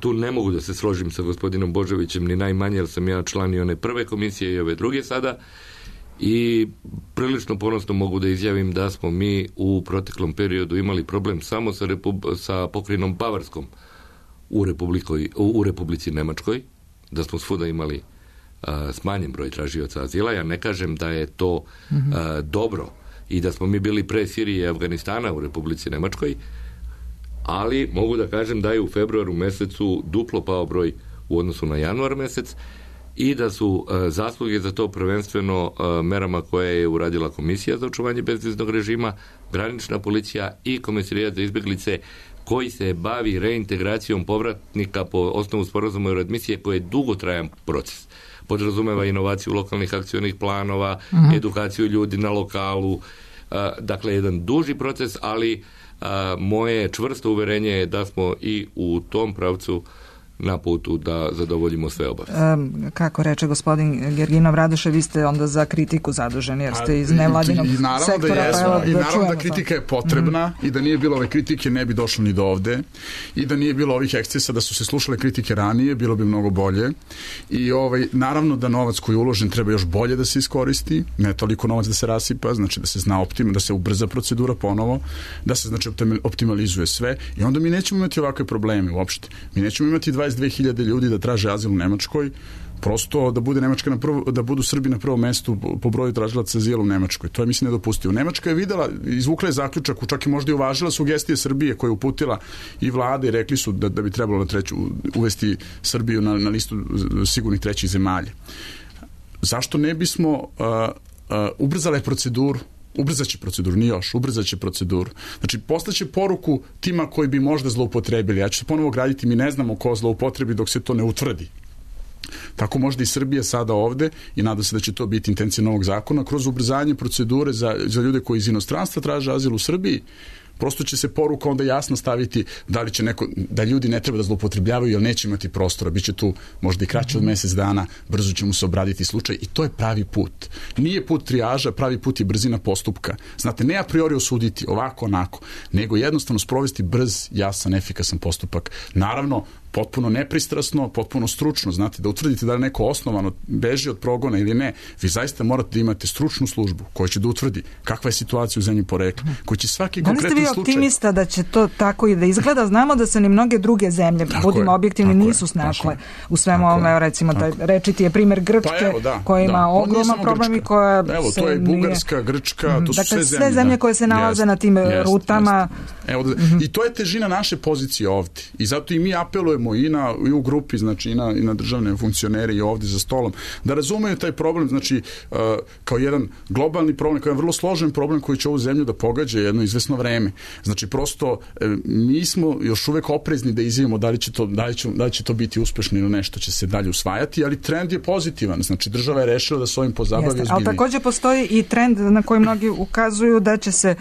tu ne mogu da se složim sa gospodinom Božovićem ni najmanje, jer sam ja član i one prve komisije i ove druge sada, i prilično ponosno mogu da izjavim da smo mi u proteklom periodu imali problem samo sa pokrajinom Bavarskom u Republici Nemačkoj. da smo svuda imali smanjen broj tražioca azila. Ja ne kažem da je to dobro i da smo mi bili pre Sirije i Afganistana u Republici Nemačkoj, ali mogu da kažem da je u februaru mesecu duplo pao broj u odnosu na januar mesec i da su zasluge za to prvenstveno merama koje je uradila Komisija za očuvanje bezviznog režima, granična policija i Komesarijat za izbeglice koji se bavi reintegracijom povratnika po osnovu sporazuma i readmisije koji je dugotrajan proces. Podrazumeva inovaciju lokalnih akcionih planova, edukaciju ljudi na lokalu, dakle jedan duži proces, ali moje čvrsto uverenje je da smo i u tom pravcu na putu da zadovoljimo sve obaveze. Kako reče gospodin Gerginov, Radoše, vi ste onda za kritiku zaduženi, jer ste iz nevladinog sektora. I naravno da kritika je potrebna i da nije bilo ove kritike ne bi došlo ni do ovde i da nije bilo ovih ekscesa, da su se slušale kritike ranije, bilo bi mnogo bolje. I naravno da novac koji je uložen treba još bolje da se iskoristi, ne toliko novac da se rasipa, znači da se zna da se ubrza procedura ponovo, da se znači optimalizuje sve i onda mi nećemo imati ovakve probleme uopšte. Mi nećemo imati 22.000 ljudi da traže azil u Nemačkoj, prosto da bude Nemačka da budu Srbi na prvom mestu po broju tražilaca azila u Nemačkoj. To je, mislim, nedopustivo. Nemačka je videla, izvukla je zaključak, čak i možda i uvažila sugestije Srbije koje je uputila i vlade i rekli su da bi trebalo uvesti Srbiju na listu sigurnih trećih zemalja. Zašto ne bismo ubrzale proceduru? Ubrzaće proceduru, nije još, ubrzaće proceduru. Znači, poslaće poruku tima koji bi možda zloupotrebili. Ja ću se ponovo graditi, mi ne znamo ko zloupotrebi dok se to ne utvrdi. Tako možda i Srbija sada ovde i nadam se da će to biti intencija novog zakona kroz ubrzanje procedure za ljude koji iz inostranstva traže azil u Srbiji. Prosto će se poruka onda jasno staviti da li će da ljudi ne treba da zloupotrebljavaju jer neće imati prostora, biće tu možda i kraće od mesec dana, brzo će mu se obraditi slučaj i to je pravi put. Nije put trijaža, pravi put je brzina postupka. Znate, ne a priori osuditi ovako, onako, nego jednostavno sprovesti brz, jasan, efikasan postupak. Naravno, potpuno nepristrasno, potpuno stručno, znate, da utvrdite da li neko osnovano beži od progona ili ne, vi zaista morate da imate stručnu službu koja će da utvrdi kakva je situacija u zemlji porekla, koji će svaki konkretan slučaj... Da li ste vi optimista da će to tako i da izgleda? Znamo da se ni mnoge druge zemlje, budimo objektivni, nisu snašle u svemu ovome, recimo, rečiti je primjer Grčke, koja ima ogroman problem i koja se nije... Evo, to je Bugarska, Grčka, to su sve zemlje koje se nalaze na tim rutama. I to je težina naše pozicije ovde. I zato i mi apelujemo i u grupi, znači i na državne funkcionere i ovdje za stolom, da razumeju taj problem, znači kao jedan globalni problem, kao jedan vrlo složen problem koji će ovu zemlju da pogađa jedno izvesno vreme. Znači prosto mi smo još uvek oprezni da izjavimo da li će to biti uspešno ili nešto će se dalje usvajati, ali trend je pozitivan, znači država je rešila da se ovim pozabavi ozbiljnije. Ali također postoji i trend na koji mnogi ukazuju da će se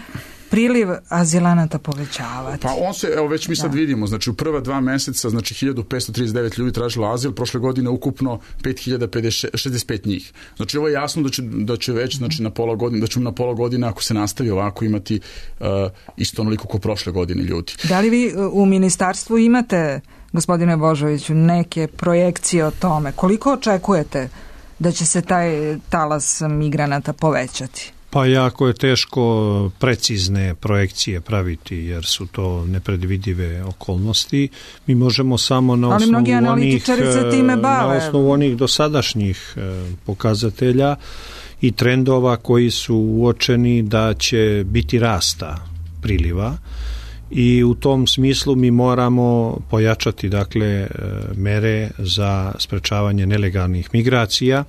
priliv azilanata povećavati. Pa on se, evo već mi sad vidimo, znači u prva 2 meseca, znači 1539 ljudi tražilo azil, prošle godine ukupno 5065 njih. Znači ovo je jasno da će već, znači na pola godine, da ćemo na pola godine ako se nastavi ovako imati isto onoliko kao prošle godine ljudi. Da li vi u ministarstvu imate, gospodine Božoviću, neke projekcije o tome? Koliko očekujete da će se taj talas migranata povećati? Pa jako je teško precizne projekcije praviti jer su to nepredvidive okolnosti. Mi možemo samo na osnovu onih dosadašnjih pokazatelja i trendova koji su uočeni da će biti rasta priliva i u tom smislu mi moramo pojačati dakle mere za sprečavanje nelegalnih migracija.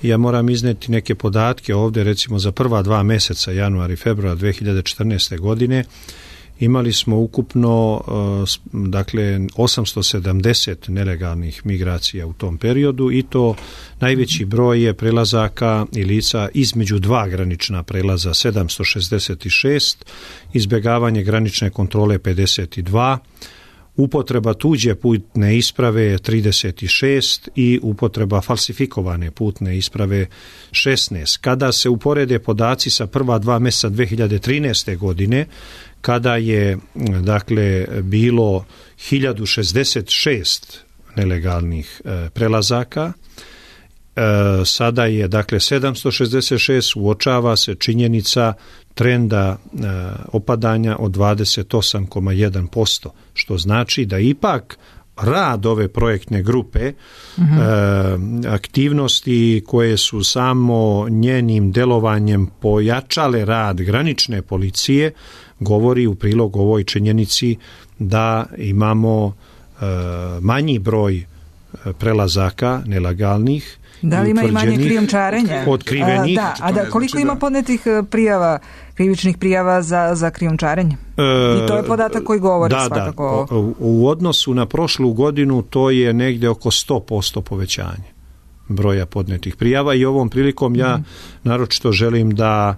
Ja moram izneti neke podatke ovdje, recimo za prva 2 meseca, januar i februar 2014. godine, imali smo ukupno dakle 870 nelegalnih migracija u tom periodu i to najveći broj je prelazaka i lica između 2 granična prelaza 766, izbjegavanje granične kontrole 52, upotreba tuđe putne isprave 36 i upotreba falsifikovane putne isprave 16. Kada se uporede podaci sa prva 2 mjeseca 2013. godine, kada je dakle bilo 1066 nelegalnih prelazaka, sada je dakle 766, uočava se činjenica trenda opadanja od 28,1%, što znači da ipak rad ove projektne grupe, aktivnosti koje su samo njenim delovanjem pojačale rad granične policije, govori u prilog ovoj činjenici da imamo manji broj prelazaka nelegalnih. Da li ima i manje krijumčarenja? Otkrivenih. Koliko ima podnetih prijava, krivičnih prijava za krijumčarenje? I to je podatak koji govori svakako. U odnosu na prošlu godinu to je negdje oko 100% povećanje broja podnetih prijava i ovom prilikom ja naročito želim da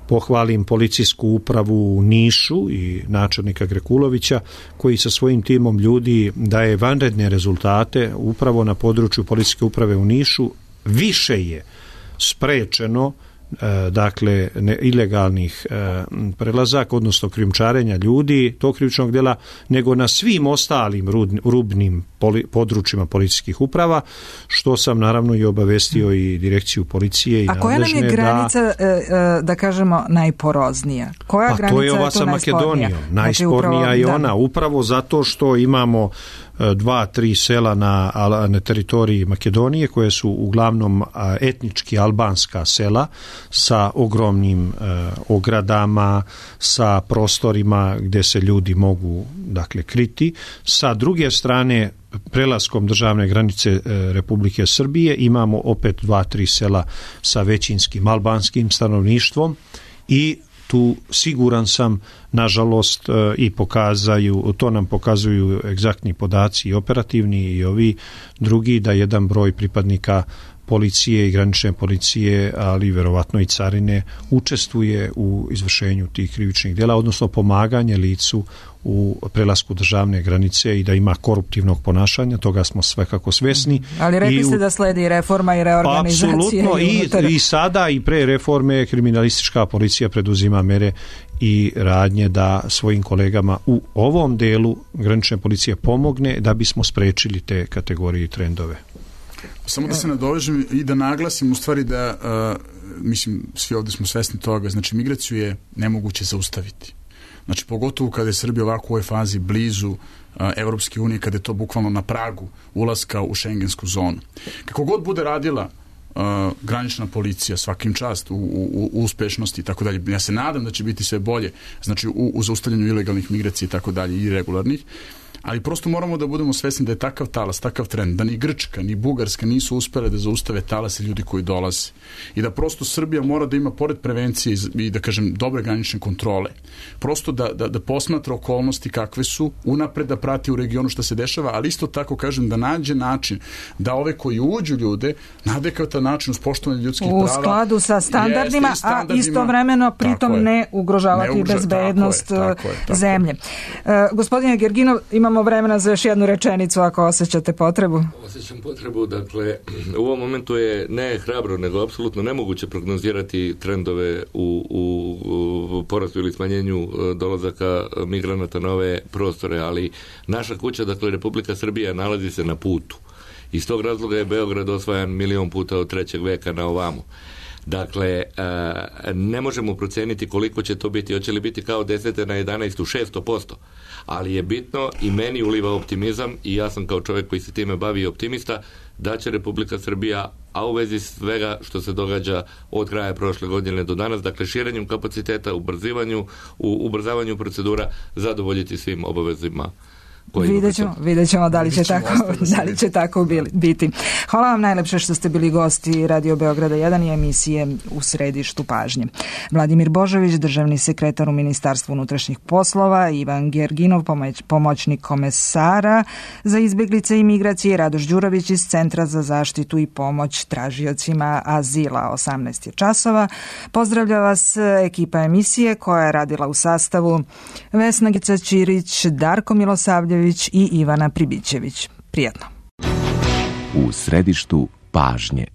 pohvalim policijsku upravu u Nišu i načelnika Grekulovića koji sa svojim timom ljudi daje vanredne rezultate upravo na području policijske uprave u Nišu. Više je sprečeno dakle ilegalnih prelazaka, odnosno krijumčarenja ljudi, tog krivičnog djela, nego na svim ostalim rubnim područjima policijskih uprava, što sam naravno i obavestio i direkciju policije i nadležne. A koja nam je granica, da kažemo, najporoznija? Koja granica to je ova sa Makedonijom. Najspornija je ona, upravo zato što imamo 2-3 sela na teritoriji Makedonije koje su uglavnom etnički albanska sela sa ogromnim ogradama, sa prostorima gdje se ljudi mogu dakle kriti. Sa druge strane, prelaskom državne granice Republike Srbije imamo opet 2-3 sela sa većinskim albanskim stanovništvom i tu siguran sam, nažalost, i to nam pokazuju egzaktni podaci i operativni i ovi drugi, da jedan broj pripadnika policije i granične policije, ali verovatno i carine, učestvuje u izvršenju tih krivičnih djela, odnosno pomaganje licu u prelasku državne granice i da ima koruptivnog ponašanja, toga smo svakako svesni. Ali rekli ste da sledi reforma i reorganizacija. Apsolutno, i sada i pre reforme kriminalistička policija preduzima mere i radnje da svojim kolegama u ovom delu granične policije pomogne da bismo sprečili te kategorije i trendove. Samo da se nadovežem i da naglasim u stvari da, mislim, svi ovdje smo svesni toga, znači migraciju je nemoguće zaustaviti. Znači, pogotovo kada je Srbija ovako u ovoj fazi blizu Evropske unije, kada je to bukvalno na pragu ulaska u šengensku zonu. Kako god bude radila granična policija, svakim čast u uspešnosti i tako dalje, ja se nadam da će biti sve bolje, znači u zaustavljanju ilegalnih migracija i tako dalje i regularnih, ali prosto moramo da budemo svesni da je takav talas, takav trend, da ni Grčka, ni Bugarska nisu uspjele da zaustave talase ljudi koji dolaze. I da prosto Srbija mora da ima, pored prevencije i da kažem dobre granične kontrole, prosto da posmatra okolnosti kakve su, unapred da prati u regionu što se dešava, ali isto tako kažem da nađe način da ove koji uđu ljude na adekvatan način uz poštovanje ljudskih prava. U skladu sa standardima, a istovremeno pritom ne ugrožavati bezbednost zemlje. Gospodine Gerginov, imamo vremena za još jednu rečenicu ako osjećate potrebu. Osjećam potrebu, dakle, u ovom momentu je ne hrabro, nego apsolutno nemoguće prognozirati trendove u porastu ili smanjenju dolazaka migranata na ove prostore, ali naša kuća, dakle, Republika Srbija nalazi se na putu. Iz tog razloga je Beograd osvajan 1.000.000 puta od 3. veka na ovamo. Dakle, ne možemo proceniti koliko će to biti, hoće li biti kao 10. na 11. 600%, ali je bitno i meni uliva optimizam i ja sam kao čovjek koji se time bavi optimista da će Republika Srbija, a u vezi svega što se događa od kraja prošle godine do danas, dakle širenjem kapaciteta, ubrzavanju procedura, zadovoljiti svim obavezima. Vidjet ćemo da li će tako biti. Hvala vam najlepše što ste bili gosti Radio Beograda 1 i emisije U središtu pažnje. Vladimir Božović, državni sekretar u Ministarstvu unutrašnjih poslova, Ivan Gerginov, pomoćnik komesara za izbjeglice i migracije, Radoš Đurović iz Centra za zaštitu i pomoć tražiocima azila. 18 je časova. Pozdravlja vas ekipa emisije koja je radila u sastavu Vesna Gica-Ćirić, Darko Milosavljević i Ivana Pribićević. Prijatno. U središtu pažnje.